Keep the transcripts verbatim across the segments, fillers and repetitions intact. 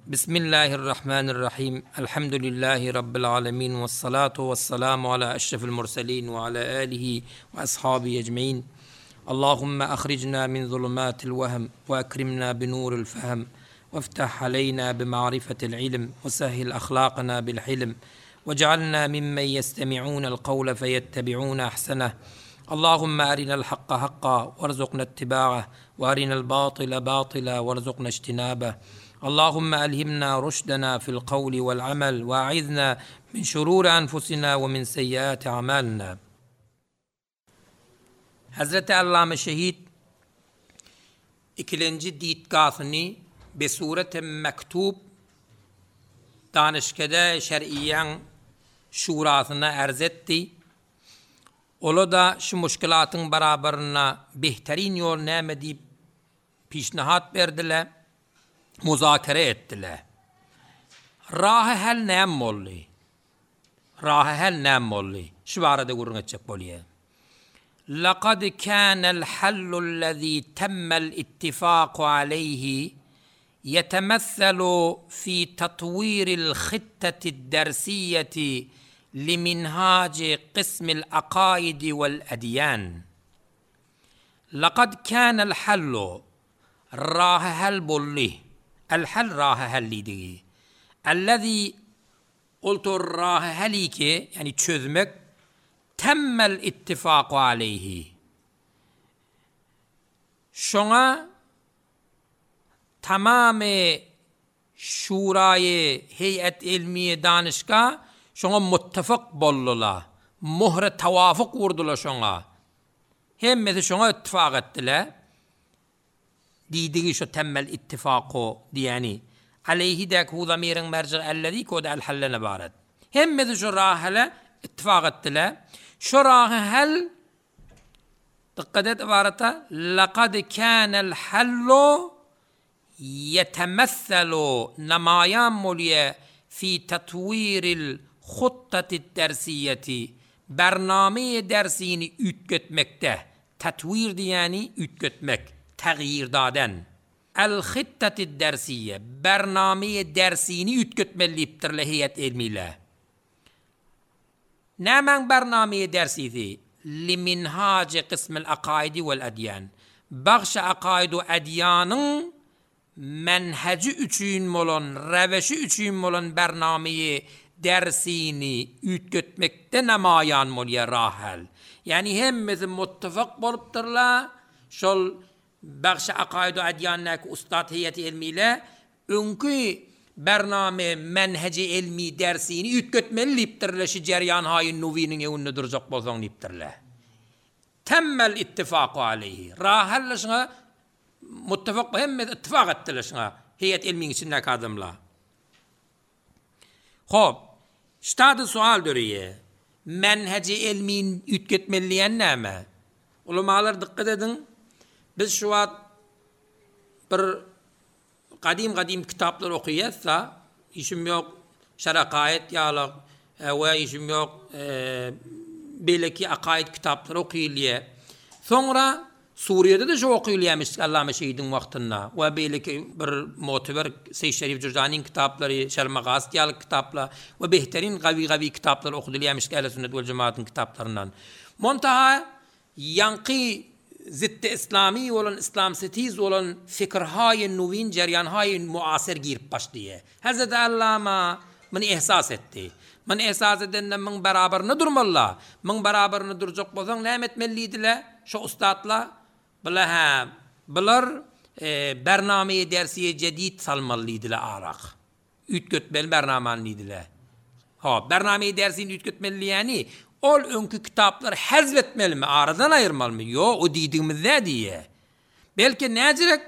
Bismillahirrahmanirrahim. Elhamdülillahi Rabbil alemin. Ve salatu ve selamu ala eşrefil murselin ve ala alihi ve ashabi ecmain. Allahümme ahricna min zulumatil vehm ve ekrimna bi nuril fehm. وافتح علينا بمعرفة العلم وسهل أخلاقنا بالحلم واجعلنا ممن يستمعون القول فيتبعون أحسنه اللهم أرنا الحق حقا وارزقنا اتباعه وأرنا الباطل باطلا وارزقنا اجتنابه اللهم ألهمنا رشدنا في القول والعمل وأعذنا من شرور أنفسنا ومن سيئات أعمالنا Hazreti Allame Şehit ikilenji ditgasyny besurete mektup danışkede şer'iyen şurasına erz etti. Ola da şu muşkilatın beraberine behterin yol näme diýip pişnahat berdiler, muzakere etdiler. Rahy hal näme boldy? Rahy hal näme boldy? Şu barada gürrüň etjek bolýar. لقد كان الحل الذي تم الاتفاق عليه يتمثل في تطوير الخطة الدرسية لمنهاج قسم العقائد والأديان. لقد كان الحل راه هل بولي الحل راه هل دي الذي قلت راه هليك yani çözmek temmel ittifaku aleyhi. Şoňa tamamy şuraýy heyet ilmiye danışka şoňa muttefak boldular. Muhre tavafuk vurdular şoňa. Hemmesi şoňa ittifak etdiler. Diýdigi şu temmel ittifaku diýeni. Aleyhi dek hu zamirin merci ellezi kod el hallene baret. Hemmesi şu rahele ittifak etdiler. Şu rahel dikkat et ibarete lekad kânel hallu يتمثل نمايان مولية في تطوير الخطة الدرسية برنامه dersini üytgetmekte. Tatwir diýeni üytgetmek, tagýir daden. El khittat dersiye bername dersini üytgetmelipdir heyet ilmiyle. Nämen bername dersisi? Liminhac qism el akaidi vel adyan. Bagş akaid we adyanın menheci üçin bolan, reveşi üçin bolan bernameyi dersini üytgetmekte nemayan bolýar rahel. Yani hemmesi muttefak bolupdyrlar. Şol bagş akaid we adyannak ustad heyeti ilmiyle öňkü bername menheci ilmi dersini üytgetmeli diýipdirler şu jeryan haýyn nuwiniň ewinde durjak bolsaň diýipdirler. Temmel ittifaku aleyhi. Rahel şuna muttefak hemme ittifak etdiler şuna. Heyet ilmin içindeki adamlar. Hop. Ştadı sual dörüye. Menheci ilmin üytgetmeliyen näme? Ulamalar dikkat edin. Biz şu wagt bir kadim kadim kitaplar okuyatsa işim yok şerakayet ýaly we işim yok e, belki akaid kitaplar okuyulýar. Soňra Suriye'de de şu okuyulýarmyş Allame Şehidin wagtynda we belki bir motiver Seyyid Şerif Cürzani'nin kitaplary, Şermagaz ýaly kitaplar we behterin gawi gawi kitaplar okudulýarmyş Ehl-i Sünnet vel Cemaat'ın kitaplaryndan. Montaha ýanky zidd İslami olan İslam setiz olan fikirhay nuvin ceryanhay muasir girip başlaýar. Hazreti Allama mını ihsas etti. Mını ihsas edenden min beraberine durmalı. Min beraberine duracak bolsaň näme etmeliydiler? Şu ustadla bula ha bular e, bername dersiye cedid salmalıydılar arak. Üytgetmeli bernamanlıydılar. Ha, bername dersini üytgetmeli yani ol öňkü kitaplar hazvetmeli mi? Aradan ayırmalı mı? Yo, o diýdigimiz ne diye. Belki näjirek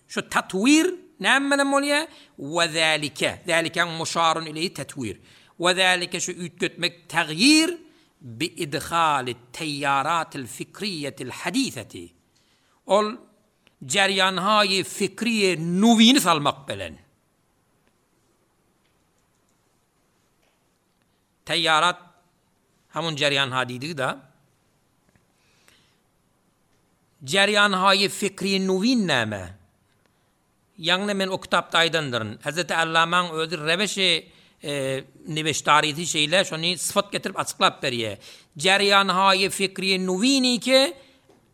şu tatwir näme bilen bolýar? Ve zalike. Zalike muşarun ileyhi tatwir. Ve zalike şu üytgetmek tagýir bi idhal teyyarat el fikriyet el hadiseti. Ol ceryanhay fikriye nuvini salmak bilen. Teyyarat hamun ceryan hadidi da ceryan hay fikri nuvin näme? Ýagny men o kitapda aýdandyryn. Hezreti Allamaň özi reweşi e, niweştarisi şeýle şony syfat getirip açyklap berýär. Jerýanhaýy fikri nuwini ki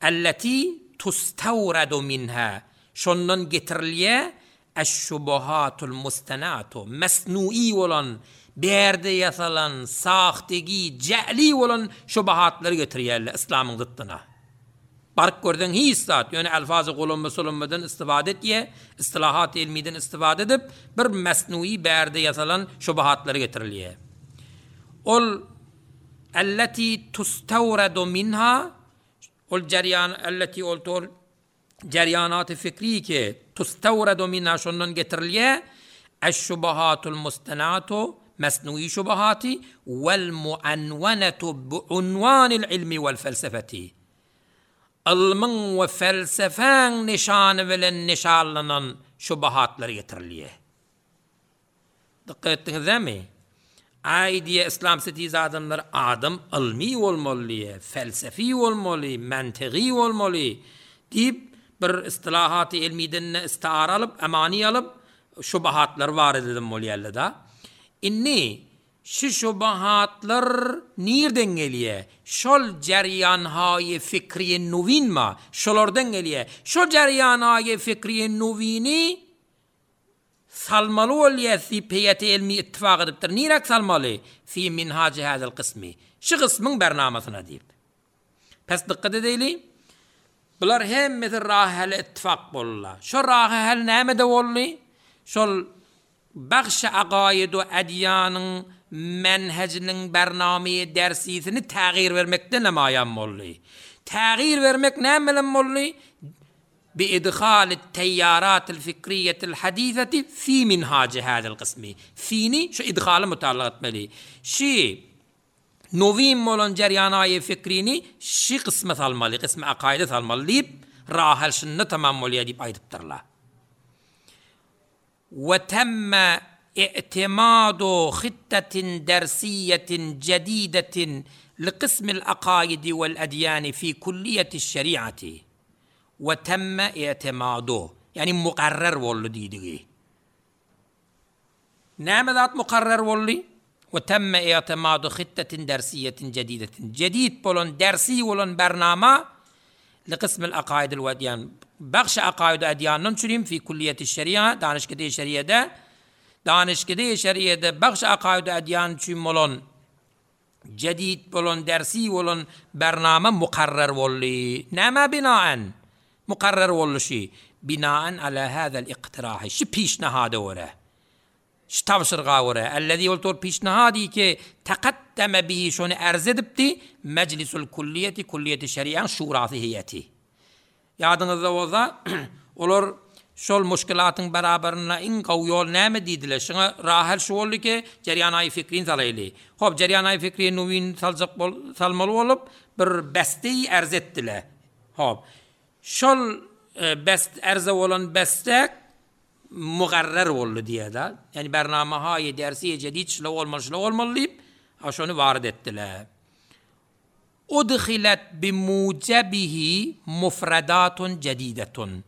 allati tustawradu minha. Şondan getirilýär eş-şubuhatul mustanatu mesnui bolan berde ýasalan sahtegi ja'li bolan şubuhatlary getirýärler İslamyň zıttyna. Baryp görden hiç zat, ýöne alfazy golomba solombadan istifade etýär, istilahat ilmiden istifade edip bir mesnui berde ýasalan şubuhatlary getirilýär. Ol allati tustawradu minha ol jaryan allati ol tor jaryanat fikri ki tustawradu minha şondan getirilýär eş-şubuhatul mustanatu mesnui şubuhati vel muanwanatu biunwanil ilmi vel felsefeti. Ilmiň we felsefäň nişany bilen nişanlanan şubuhatlar getirilýär. Dikkat etdiňizmi? Aý diýe İslam setiz adamlar adam ilmi bolmaly, felsefi bolmaly, mantygy bolmaly diýip bir istilahaty ilmiden istiara alyp, amani alyp şubuhatlar bar edelim bolýarlar da. Inni şu şubuhatlar nirden gelýär? Şol jaryanhaýy fikri nuwin ma? Şolardan gelýär. Şol jaryanhaýy fikri nuwini salmaly bolýar fi peýeti ilmi ittifak edipdir. Nirek salmaly? Fi minhaji hadal qismi. Şu qismiň bernamasyna diýip. Pes dikkat edeli. Bular hemmesi rahel ittifak boldular. Şo rahel näme de boldy? Şol bagş agaýydu adýanyň menhejiniň bernamaýy dersisini tägir bermekden namaýan boldy. Tägir bermek näme bilen boldy? Bi idhal at-tayyarat al-fikriyye al-hadithati fi minhaj hada al-qismi. Fini şu idhaly mutallaq etmeli. Şi nowim bolan jarýanaýy fikrini şi qisme salmaly, qisme akaýda salmaly diýip rahal şunda tamam bolýar diýip aýdypdyrlar. Ve temme i'timadu hittetin dersiyetin cedidetin liqismil akaidi vel edyani fi kulliyeti şeriati. Ve temme i'timadu yani mukarrer boldy diýdigi. Näme zat mukarrer boldy? Ve temme i'timadu hittetin dersiyetin cedidetin. Cedid bolan dersi bolan bernama liqismil akaid vel edyan. Bagş akaid edyandan çürüm fi kulliyeti şeria danışkede şeriede danışkede şeriede bagş akaid edyan çüm bolan cedid bolan dersi bolan bernama mukarrer boldy. Näme binaen? Mukarrer boluşy binaen ala hadal iqtirahi. Şu pişnahada görä. Şu tavşırga görä. Ellezî ol pişnahadi ki taqaddeme bihi şonu erz edipdi meclisul kulliyeti kulliyeti şerian şurasy heyeti. Ýadyňyzda bolsa olar şol muşkilatyň beraberine iň gowy ýol näme diýdiler? Şuňa rahel şu boldy ki jarýanaý fikrin salaýly. Hop jarýanaý fikrin nuwin saljak bol salmaly bolup bir besteyi erz etdiler. Hop şol e, best erze bolan bestek mugarrer boldy diýe-de. Yani bernamahaýy dersi cedid şla bolmaly şla bolmaly diýip şony warid etdiler. Udhilat bimujabihi mufradatun cedidetun.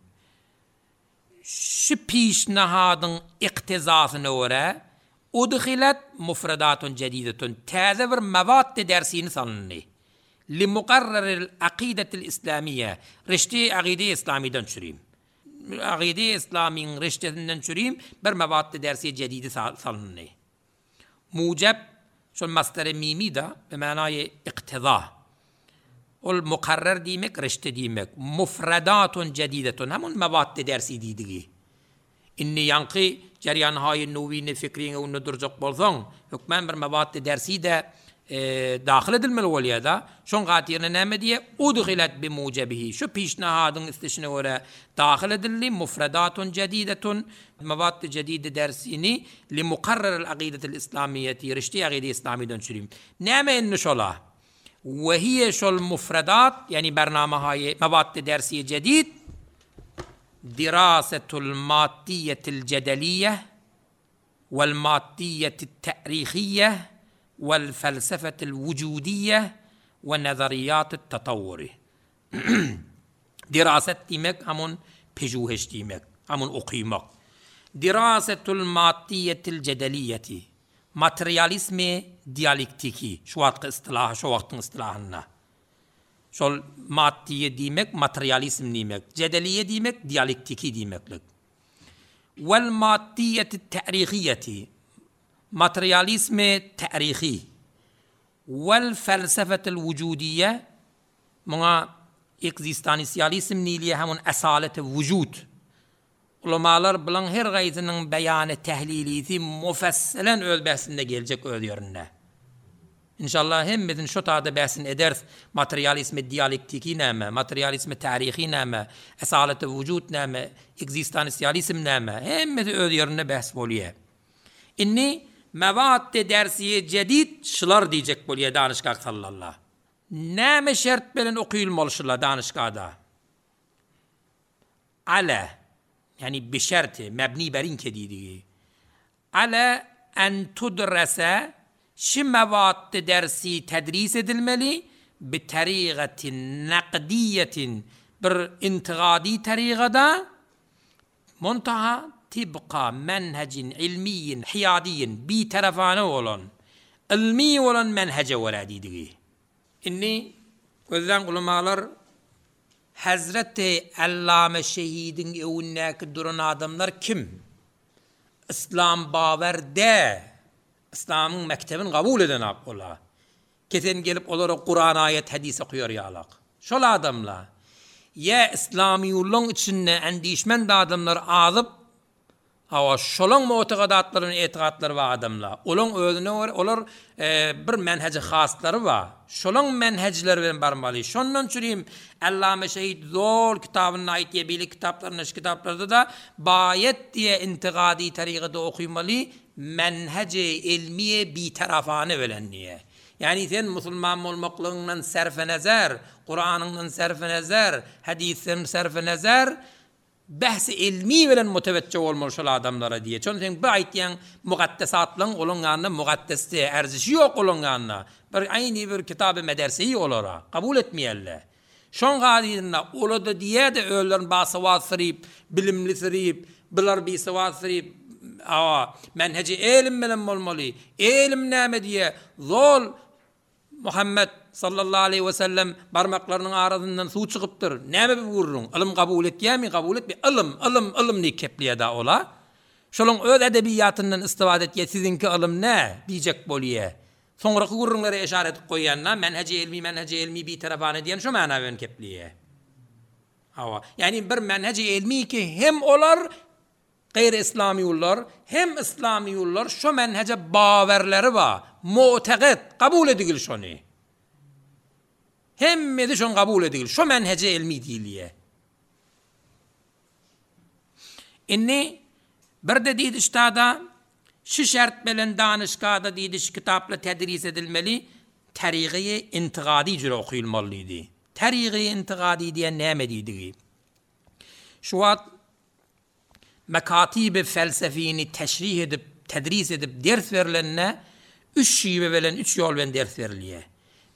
Şu pişnahadyň iktizasyna görä udhilat mufradatun cedidetun. Täze bir mawat dersini salyndy. Li muqarraril aqidatil islamiyye. Rişti aqide islamiden çüreyim. Aqide islamiyyin riştesinden çüreyim bir mawat dersi cedidi salyndy. Mujab şol masdar mimi da be manaýy iktiza. Ol mukarrer diýmek, rişte diýmek. Mufradatun cedidetun. Hemun mawat dersi diýdigi. Inni ýanky jarýanhaýy nuwini fikriňe ony durjak bolsaň, hökmän bir mawat dersi de e, daxil edilmeli bolýar da. Şoň gatyryna näme diýe? Udhilat bi mujabihi. Şu pişnahadyň istişine görä daxil edildi mufradatun cedidetun mawat cedide dersini li muqarrar al-aqidatil islamiyyeti rişti aqide islamiden çürüm. Näme inni şola? Ve hiye şol mufradat yani bernamahaýy mawat dersi cedid dirasetul maddiyetil cedeliye vel maddiyetit ta'rihiyye vel felsefetil wucudiyye ve nazariyatit tatawwuri. Diraset diýmek hamun pejuheş diýmek. Amun okymak. Dirasetul maddiyetil cedeliyeti. Materializmi dialektiki. Şu wagtky istilahy, şu wagtyň istilahynda. Şol maddiye diýmek, materializm diýmek, cedeliye diýmek, dialektiki diýmeklik. Vel maddiyeti tarihiyeti. Materializmi tarihi. Vel felsefetel vücudiye. Muňa egzistansializm diýilýär, hem asaleti vücud. Ulamalar bilen her gaýsynyň beýany tehlilisi mufassalen öz bäsinde geljek öz ýerinde. İnşallah hemmesini şu tada bäsin ederiz. Materializmi dialektiki näme, materializmi tarihi näme, asaleti vücud näme, egzistansializm näme, hemmesi öz ýerinde bäs bolýar. Inni mevat dersiye cedid şılar diýjek bolýar danışgah sallallahu. Näme şert bilen okuyulmaly şılar danışgahda? Ala, yani bi şerti, mebni berinke diýdigi. Ala en tudrese şi mevat dersi tedris edilmeli bi tarigatin nakdiyetin bir intigadi tarigada muntaha tibqa menhecin ilmiyin hiyadiyin bi tarafane olan ilmi olan menhece görä diýdigi. Inni gözden ulamalar Hazreti Allame Şehidin öwündäki duran adamlar kim? İslam bawer de. İslam'ın mektebini kabul eden ak ola. Kesen gelip olara Kur'an ayet hadis okuyor yalak. Şol adamla ya İslamiyullah'ın içinde endişmen de adamlar azyp Hawa şolaň mu'taqadatlaryny etiqatlary bar adamlar. Olaň özüne görä olar e, bir menheci haslary bar. Şolaň menhecleri bilen barmaly. Şondan çürüm Allame Şehid zor kitabynda aýtýar, bili kitaplarynda, şu kitaplarda da bayet diye intiqadi tarigada okumaly menheci ilmiye bi tarafane bilen diye. Yani sen musulman bolmaklygyňdan serfe nezer, Kur'an'ından serfe nezer, hadisden serfe nezer, bahs ilmi bilen müteveccih olmaly şol adamlara diye. Çünkü sen bu aýtýan mugaddesatlaryň olaň ýanyna mugaddesde erzişi ýok olaň ýanyna. Bir aýny bir kitaby mederseyi olara kabul etmeýärler. Şoň gadyrynda ola da diýe de öýlerin basawat syrip, bilimli syrip, bilar bisawat syrip, awa menheci elim bilen bolmaly. Elim näme diýe? Zol Muhammed sallallahu aleyhi ve sellem barmaklarynyň arasyndan suw çykypdyr. Näme bir gurrun? Ylym kabul etýärmi? Kabul etme. Ylym, ylym, ylym ni kepleýär da ola. Şolaň öz edebiyatyndan istifade etýär. Siziňki ylym nä diýjek bolýar. Soňraky gurrunlara işaret edip goýýanna menheci ilmi, menheci ilmi bir tarafane diýen şu mana bilen kepleýär. Hawa. Yani bir menheci ilmi ki hem olar gayr İslamiyullar hem İslamiyullar şu menhece bawerleri bar. Mu'taqid kabul edigil şonu. Hemmesi şonu kabul edigil. Şu menhece ilmi diýilýär. Inni bir de diýdi ştada şu şert bilen danışgahda diýdi şu kitapla tedris edilmeli tarihi intigadi jüre okuyulmalydy. Tarihi intigadi diýen näme diýdigi? Şu wagt mekatibi felsefini teşrih edip, tedris edip ders verilenine üç şive bilen üç yol bilen ders verilýär.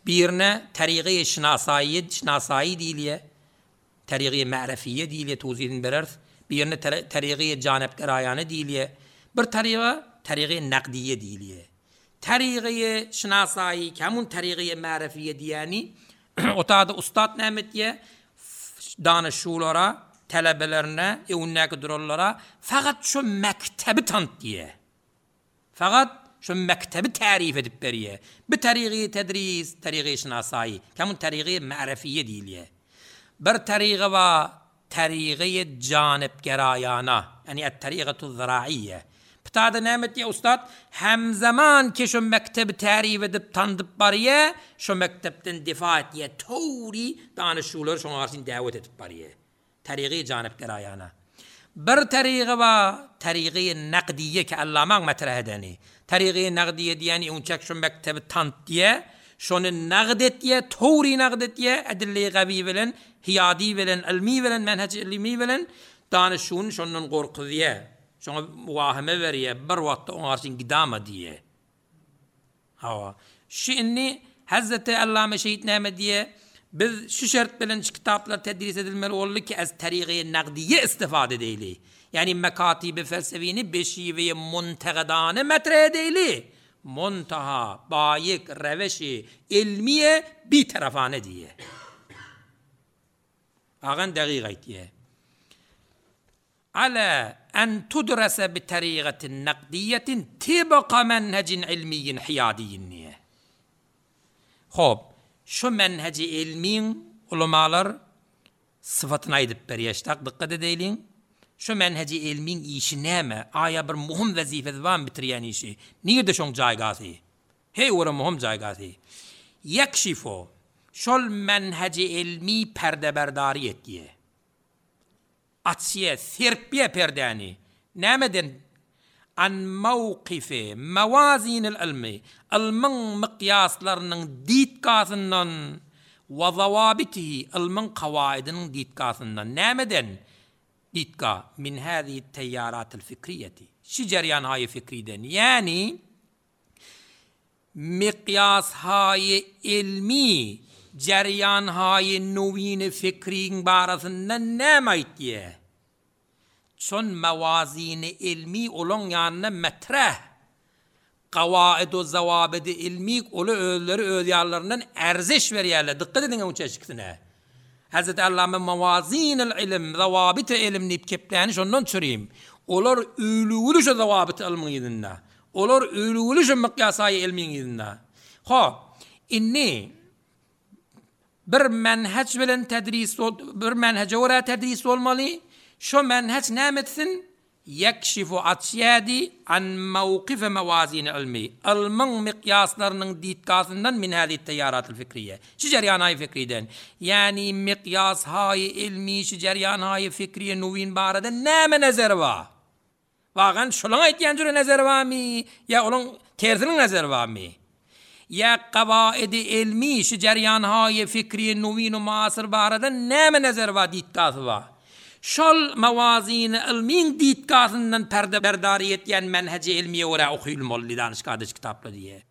Birine tarihi şinasayi, şinasayi diýilýär. Tarihi ma'rifiye diýilýär, tawzihini bereris. Birine tarihi janepgeraýany diýilýär. Bir tarihi tarihi naqdiye diýilýär. Tarihi şinasayi, kamun tarihi ma'rifiye diýeni otada ustad näme etýär? Danışulara, talebelerine, öwündäki duranlara fakat şu mektebi tant diýe. Fakat şu mektebi tarif edip berýär. Bir tarihi tedris, tarihi şinasayi, kamun tarihi ma'rifiye diýilýär. Bir tarihi va tarihi janepgerayana, yani et-tariqatu ziraiyye. Ptada näme etýär ustad? Hem zaman ki şu mektebi tarif edip tandyp barýar, şu mektepden difa etýär, towri danışular şoňa garşy dawet edip barýar. Tarihi janepgerayana. Bir tarihi va tarihi naqdiye ki Allamaň matrah edeni. Tarihi naqdiye diýeni onçak şu mektebi tant diýe, şonu naqd etýär, towri naqd etýär, edilli gawi bilen, hiyadi bilen, ilmi bilen, menhec ilmi bilen danışun şondan gorkuzýar. Şoňa muwaheme berýär, bir wagtda oňa garşy gidama diýe. Hawa. Şu inni Hazreti Allame Şehit näme diýe? Biz şu şert bilen şu kitaplar tedris edilmeli boldy ki az tarihi naqdiye istifade edeýli. Ýagny mekatibi felsefini bi şiweýi muntegedane metreh edeýli, muntaha baýik reweşi ilmiýe bitarafane diýýär. Agan dagyk aýtýar. Ala en tudrese bi tarigatin nakdiýetin tibqa menhejin ilmiýin hiýadiýin diýýär. Hop, şu menheji ilmiň ulamalar syfatyny aýdyp berýär. Ştak dykgat edeýliň. Şu menheji ilmiň işi näme? Aýa bir muhim wezifesi barmy bitirýän işi? Nirde şoň jaýgasy? Heý, ora muhim jaýgasy. Ýekşifo, şol menheji ilmi perdeberdary etýär. Açýar, serpýär perdäni. Nämeden? An mawkifi mawazinil ylmy, ylmyň mykýaslarynyň ditgasyndan we zawabitihi, ylmyň kawaýdynyň ditgasyndan. Nämeden? Ditga min hazihi teýýaratil fikriýeti. Şi jerýan haýy fikriden. Ýagny mykýas haýy ilmi, jerýan haýy nowini fikriň barasynda näme aýtýar? Şon mawazini ilmi olaň ýanyna metreh. Gawaid-u zawabidi ilmi oly özleri öz ýanlaryndan erziş berýärler. Dykgat ediň oň çeşikisine. Hazreti Allama mawazinil ilim, zawabit ilim diýip kepläni şondan çüreyim. Olar ölügüli şu zawabit ilmiň ýüzünde. Olar ölügüli şu mykýasaýy ilmiň ýüzünde. Hop, inni bir menheç bilen tedris bir menhece görä tedris bolmaly. Şu menheç näme etsin? Ýekşifu açýady an mawkife mawazini ilmi. Ilmiň mykýaslarynyň ditgasyndan min hazihi teýýaratil fikriýe. Şu jerýan fikriden. Ýagny mykýas haýy ilmi şu jerýan haýy fikriýe nowin barada näme nazar bar? Wagan şolaň aýtýan jüre nazar barmy? Ýa olaň tersiniň nazary barmy? Ýa gawaidi ilmi şu jerýan haýy fikriýe nowin muasir barada näme nazar bar ditgasy bar? Şol mawazini ilmiň ditgasyndan perde berdary etýän menheji ilmiýe görä okuyulmaly danyş kardeş kitaplar diýe.